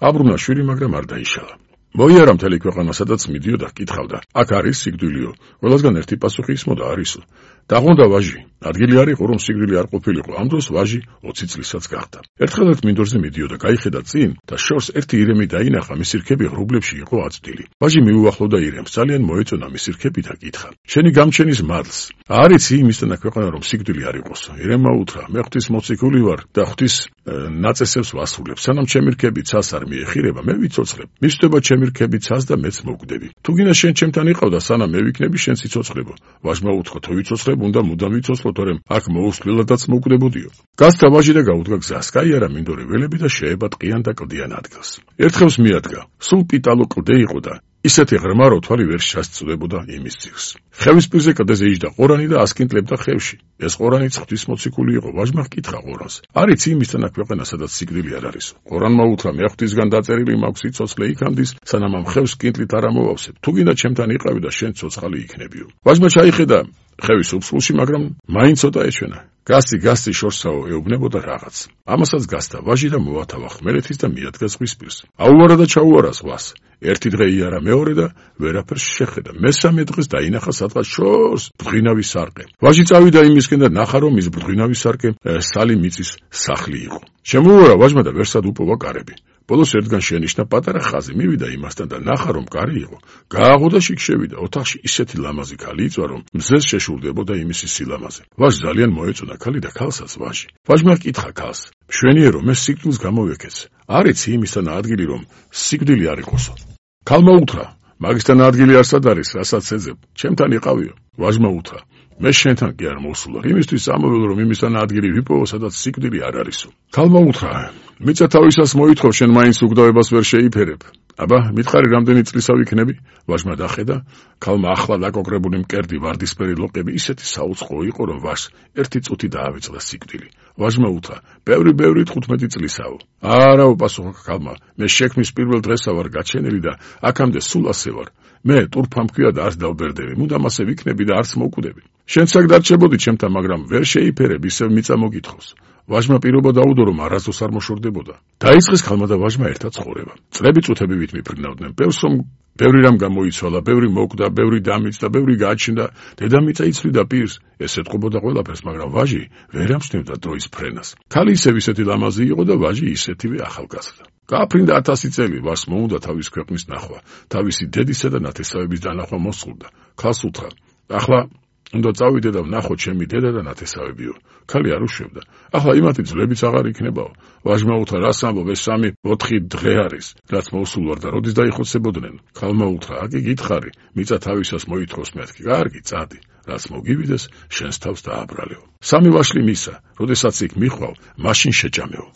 აბრუნა შვილი, მაგრამ არ დაიშალა. მოიარა მთელი ქვეყანა, სადაც მიდიოდა, კითხავდა: აქ არის სიკვდილიო? ყველასგან ერთი პასუხი ისმოდა: არისო. დაღონდა ვაჟი. ადგილი არ იყო, რომ სიკვდილი არ ყოფილიყო. ამ დროს ვაჟი ოცი წლისაც გახდა. ერთხელ ერთ მინდორზე მიდიოდა, გაიხედა წინ და შორს ერთი ირემი დაინახა, მისი რქები ღრუბლებში იყო აწვდილი. ვაჟი მიუახლოვდა ირემს, ძალიან მოეწონა მისი რქები და კითხა: შენი გამჩენის მადლს არ იცი იმისთანა ქვეყანა, რომ სიკვდილი არ იყოს? ირემმა უთხრა: მე ღვთის მოციქული ვარ და ღვთის ნაწესებს ვასრულებ. სანამ ჩემი რქები ცას არ მიეხირება, მე ვიცოცხლებ. მისვდება ჩემი რქები ცას და მეც მოვკვდები. თუ გინდა შენ ჩემთან იყავ და სანამ მე ვიქნები, შენ ციცოცხლებო. ვაჟმა უთხრა: თუ ვიცოცხლებ, უნდა მუდამ ვიცოცხლო, თორემ აქ მოუსვლელადაც მოვკვდებოდიო. გასცა ვაჟი და გაუდგა გზას. გაიარა მინდორი ველები და შეება ტყიან და კლდიან ადგილს. ერთხელს მიადგა. სულ პიტალო კლდე იყო და ისეთი ღრმა, რომ თვალი ვერ შესწვდებოდა იმის ძირს. ხევის პირზე კლდეზე იჯდა ყორანი და ასკინტლებდა ხევში. ეს ყორანიც ღვთისმოციქული იყო. ვაჟმა ჰკითხა ყორანს: არ იცი იმისთანა ქვეყანა, სადაც სიკვდილი არ არის? ყორანმა უთხრა: მე ღვთისგან დაწერილი მაქვს სიცოცხლე იქამდის, სანამ ამ ხევს კინტლით არ ამოვავსებ. თუ გინდა ჩემთან იყავი და შენ ცოცხალი იქნებიო. ვაჟმა ჩაიხედა ხევის უფსულში, მაგრამ მაინც ცოტა ეჩვენა. გასცი გასცი შორსაო ეუბნებოდა რაღაც. ამასაც გასცა ვაჟი და მოათავა ხმელეთის და მიადგა ზღვის პირს. აუარა და ჩაუარა ზღვას. ერთი დღე იარა, მეორე და ვერაფერს შეხედა. მესამე დღეს დაინახა სადღაც შორს ბრძღინავი სარკე. ვაჟი წავიდა იმისკენ და ნახა, რომ ის ბრძღინავი სარკე სალი მიწის სახლი იყო. შემოუარა ვაჟმა და ვერსად უპოვა კარები. ბოლოს ერთგან შენიშნა პატარა ხაზი, მივიდა იმასთან და ნახა, რომ კარი იყო. გააღო და შიგ შევიდა. ოთახში ისეთი ლამაზი ქალი იწვა, რომ მზეს შეშურდებოდა იმისი სილამაზე. ვაჟს ძალიან მოეწონა ქალი და ქალსაც ვაჟი. ვაჟმა კითხა ქალს: მშვენიერო, მე სიკვდილს გამოვეკეცე. არ იცი იმისთანა ადგილი, რომ სიკვდილი არ იყოსო? ქალმა უთხრა: მაგისთან ადგილი არსად არის, რასაც ეძებ? ჩემთან იყავიო. ვაჟმა უთხრა: მე შენთან კი არ მოვსულარ, იმისთვის ამოველო, რომ იმისთან ადგილი ვიპოვო, სადაც სიკვდილი არ არისო. ქალმა უთხრა: მიწა თავისას მოითხოვ, შენ მაინც უგდავებას ვერ შეიფერებ. აბა, მითხარი, რამდენი წლისა ვიქნები? ვაჟმა დახედა, ქალმა ახლა დაკოკრებული მკერდი, ვარდისფერი ლოყები ისეთი საუწყო იყო, რომ ვაჟს ერთი წუთი დაავიწყდა სიკვდილი. ვაჟმა უთხრა: ბევრი ბევრი თხუთმეტი წლისაო. არა, უპასუხა ქალმა, მე შექმნის პირველ დღესა ვარ გაჩენილი და აქამდე სულ ასე ვარ. მე ტურფა მქვია და არც დავბერდები, მუდამ ასე ვიქნები და არც მოვკვდები. შენც აქ დარჩებოდი ჩემთან, მაგრამ ვერ შეიფერებ, ისევ მიწა მოგითხოვს. ვაჟმა პირობა დაუდო, რომ არასდროს არ მოშორდებოდა. დაიწყეს ქალმა და ვაჟმა ერთად ცხოვრება. წლები წუთები ვით მიფრინავდნენ. ბევრს რომ ბევრი რამ გამოიცვალა, ბევრი მოკვდა, ბევრი დამიწდა, ბევრი გააჩნდა, დედამიწა იცვლიდა პირს. ეს ეთყობოდა ყველაფერს, მაგრამ ვაჟი ვერ ამჩნევდა დროის ფრენას. ქალი ისევ ისეთი ლამაზი იყო და ვაჟი ისეთივე ახალგაზრდა. გააფრინდა ათასი წელი, ვაჟს მოუნდა თავის ქვეყნის ნახვა, თავისი დედისა და ნათესავების დანახვა მოსწურდა. ქალს უთხრა: ახლა უნდა წავიდე და ვნახო ჩემი დედა და ნათესავებიო. ქალი არ უშვებდა. ახლა იმათი ძვლებიც აღარ იქნებაო. ვაჟმა უთხრა: რას ამბობ, ეს სამი ოთხი დღე არის, რაც მოსულ ვარ და როდის დაიხოცებოდნენ? ქალმა უთხრა: აკი გითხარი, მიწა თავისას მოითხოვს, მეთქი. კარგი, წადი, რაც მოგივიდეს, შენს თავს დააბრალეო. სამი ვაშლი მისა, როდესაც იქ მიხვავ, მაშინ შეჭამეო.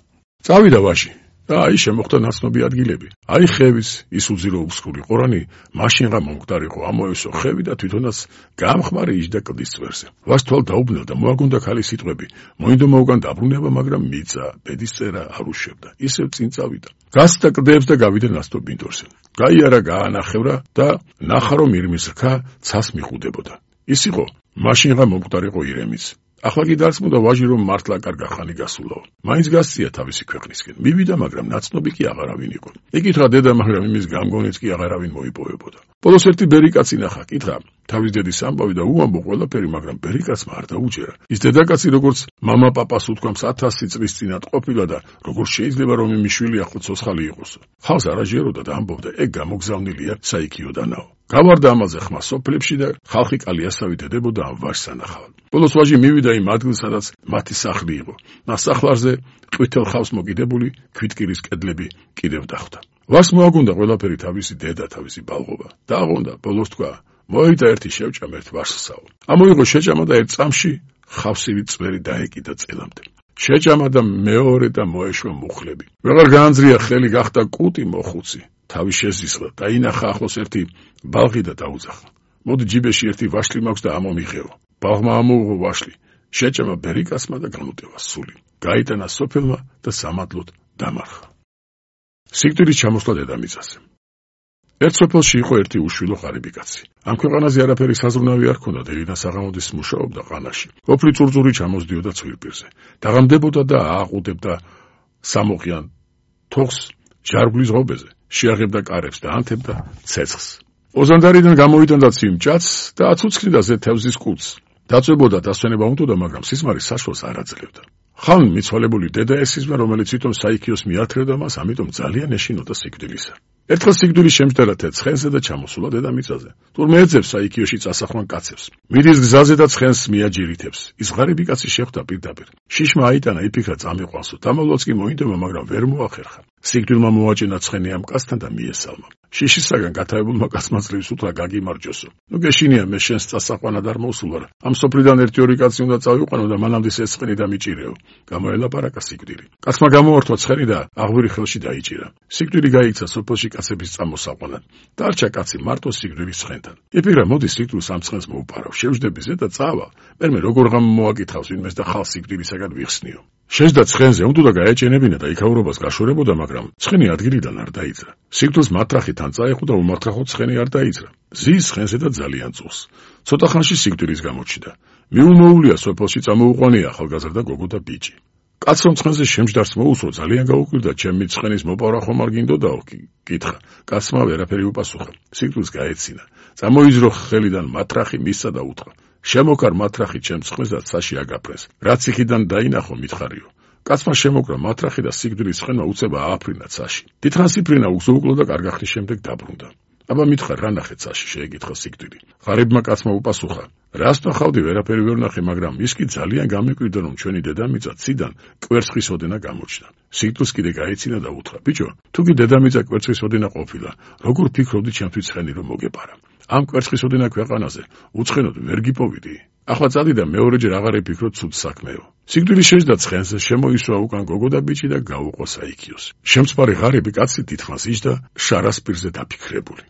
წავიდა ვაჟი. და აი შემოხდა ნაცნობი ადგილები. აი ხევის ის უძირო უსხური ყორანი, მაშინღა მომკვდარიყო ამოესო ხევი და თვითონაც გამხმარი იჯდა კლდის წვერზე. ვაჟს თვალ დაუბნელდა, მოაგონდა ქალის სიტყვები. მოინდო მოუგან დაბრუნება, მაგრამ მიწა, ბედისწერა არ უშვებდა. ისევ წინ წავიდა. გასცდა კლდეებს და გავიდა ნაცნობ მინდორზე. გაიარა, გაანახევრა და ნახა, რომ ირმის რქა ცას მიხუდებოდა. ის იყო მაშინღა მომკვდარიყო ირემიც. ახლა კი დარწმუნდა ვაჟი, რომ მართლა კარგა ხანი გასულაო. მაინც გასწია თავისი ქვეყნისკენ. მივიდა, მაგრამ ნაცნობი კი აღარავინ იყო. ეკითხა დედა, მაგრამ იმის გამგონიც კი აღარავინ მოიპოვებოდა. ბოლოს ერთი ბერიკაცი ნახა, კითხა თავის დედის ამბავი და უამბო ყველაფერი, მაგრამ ბერიკაცმა არ დაუჯერა. ის დედაკაცი, როგორც მამა პაპას უთქვამს, ათასი წლის წინათ ყოფილა და როგორც შეიძლება, რომ იმის შვილი ახლო ცოცხალი იყოსო. ხალს არაჟეროდა და ამბობდა, ეგ გამოგზავნილია საიქიოდანაო. გავარდა ამაზე ხმა სოფლებში და ხალხი კალიასავი დედებოდა ამ ვაჟს ანახავად. ბოლოს ვაჟი მივიდა იმ ადგილს, სადაც მათი სახლი იყო. ნასახლარზე ყვითელ ხავს მოკიდებული ქვითკირის კედლები კიდევ დახვდა. ვაჟს მოაგონდა ყველაფერი, თავისი დედა, თავისი ბალღობა. დააღონდა, ბოლოს თქვა: მოიტა ერთი შევჭამ ერთ ვაჟსაო. ამოიღო შეჭამა და ერთ წამში ხავსივი წვერი დაეკიდა წელამდე. შეჭამა და მეორე და მოეშვა მუხლები. ვეღარ გაანძრია ხელი, გახდა კუტი მოხუცი. თავი შეზისლა, დაინახა ახლოს ერთი ბალღი და დაუძახა. მოდი ჯიბეში ერთი ვაშლი მაქვს და ამომიღეო. ბალღმა ამოუღო ვაშლი, შეჭამა ბერიკასმა და განუტევა სული. გაიტანა სოფელმა და სამადლოდ დამარხა. სიკვდილი ჩამოსვლა დედამიწაზე. ერთ სოფელში იყო ერთი უშვილო ღარიბი კაცი. ამ ქვეყანაზე არაფერი საზრუნავი არ ჰქონდა, დედა საღამოდის მუშაობდა ყანაში. ოფლი წურწური ჩამოსდიოდა ცვილპირზე. დაღამდებოდა და ააყუდებდა სამოყიან თოხს ჯარგვლის ღობეზე. შეაღებდა კარებს და ანთებდა ცეცხლს. ოზანდარიდან გამოიტანდა ცივ ჭაცს და აცუცქნიდა ზე თევზის კუც. დაწვებოდა დასვენება უნდოდა, მაგრამ სიზმარი საშუალს არ აძლევდა. ხან მიცვალებული დედა ესიზმა, რომელიც თვითონ საიქიოს მიათრევდა მას, ამიტომ ძალიან ეშინოდა სიკვდილისა. ერთხელ სიკვდილი შემჯდარა ცხენზე და ჩამოსულა დედამიწაზე. თურმე ეძებს საიქიოში წასახვან კაცებს. მიდის გზაზე და ცხენს მიაჯირითებს. ის ღარიბი კაცი შეხვდა პირდაპირ. შიშმა აიტანა, იფიქრა წამიყვანსო. დამავლაც კი მოინდომა, მაგრამ ვერ მოახერხა. სიკვდილმა მოაჭენა ცხენი ამ კაცთან და მიესალმა. შიშისაგან გათავებულმა კაცმა ძლივს უთხრა, გაგიმარჯოსო. ნუ გეშინია, მე შენს წასაყვანად არ მოვსულვარ. ამ სოფლიდან ერთი ორი კაცი უნდა წავიყვანო და მანამდე ეს ცხენი დამიჭირეო. გამოელაპარაკა სიკვდილი. კაცმა გამოართვა ცხენი და აღვირი ხელში დაიჭირა. სიკვდილი გაიქცა სოფელში კაცების წამოსაყვანად. დარჩა კაცი მარტო სიკვდილის ცხენთან. იფიქრა, მოდი სიკვდილს ამ ცხენს მოუპარავ. შევждები ზედა წავალ. მერმე როგორ ღამ მოაკითხავს ვინმეს და ხალხს სიკვდილისაგან ვიხსნიო. შეჯდა ცხენზე, უნდა გაეჭენებინა და იქაურობას გაშორებოდა, მაგრამ ცხენი ადგილიდან არ დაიძრა. სიკვდილს მათრახი თან წაეხო და უმათრახოდ ცხენი არ დაიძრა. ზის ცხენზე და ძალიან წულს. ცოტა ხანში სიკვდილის გამოჩნდა. მიულმოულია სოფელში წამოუყვანია ახალგაზრდა გოგო და ბიჭი. კაც რომ ცხენზე შემჯდარს მოусო, ძალიან გაუკვირდა, ჩემი ცხენის მოპარვა ხომ არ გინდოდაო? კითხა. კაცმა ვერაფერი უპასუხა. სიკვდილს გაეცინა. წამოიზრო ხელიდან მათრახი, მისცა და უთხრა, შემოკარ მათრახი ჩემ ცხენს და ცაში აგაფრენს. რაც იქიდან დაინახო მითხარიო. კაცმა შემოკრა მათრახი და სიკვდილის ცხენმა უცება ააფრინა ცაში. დიდხანს იფრინა უზოუკლო და კარგახნის შემდეგ დაბრუნდა. აბა მითხარ, რა ნახე ცაში? შეეკითხა სიკვდილი. ღარიბმა კაცმა უპასუხა, რას ნახავდი? ვერაფერი ვერ ნახე, მაგრამ ის კი ძალიან გამიკვირდა, რომ ჩვენი დედამიწა ციდან კვერცხის ოდენა გამოჩნდა. სიკვდილს კიდე გაეცინა და უთხრა, ბიჭო, თუ კი დედამიწა კვერცხის ოდენა ყოფილა, როგორ ფიქრობდი ჩემთვის ცხენი რომ მოგეპარა? ამ კვერცხის ოდენა ქვეყანაზე უცხენოდ ვერ გიპოვიდი. ახლა წადი და მეორეჯერ აღარ იფიქრო ცუდ საქმეო. სიკვდილი შეჯდა ცხენზე, შემოისვა უკან გოგო და ბიჭი და გაუყო საიქიოს. შემწყარი ღარიბი კაცი დიდხანს იჯდა შარას პირზე დაფიქრებული.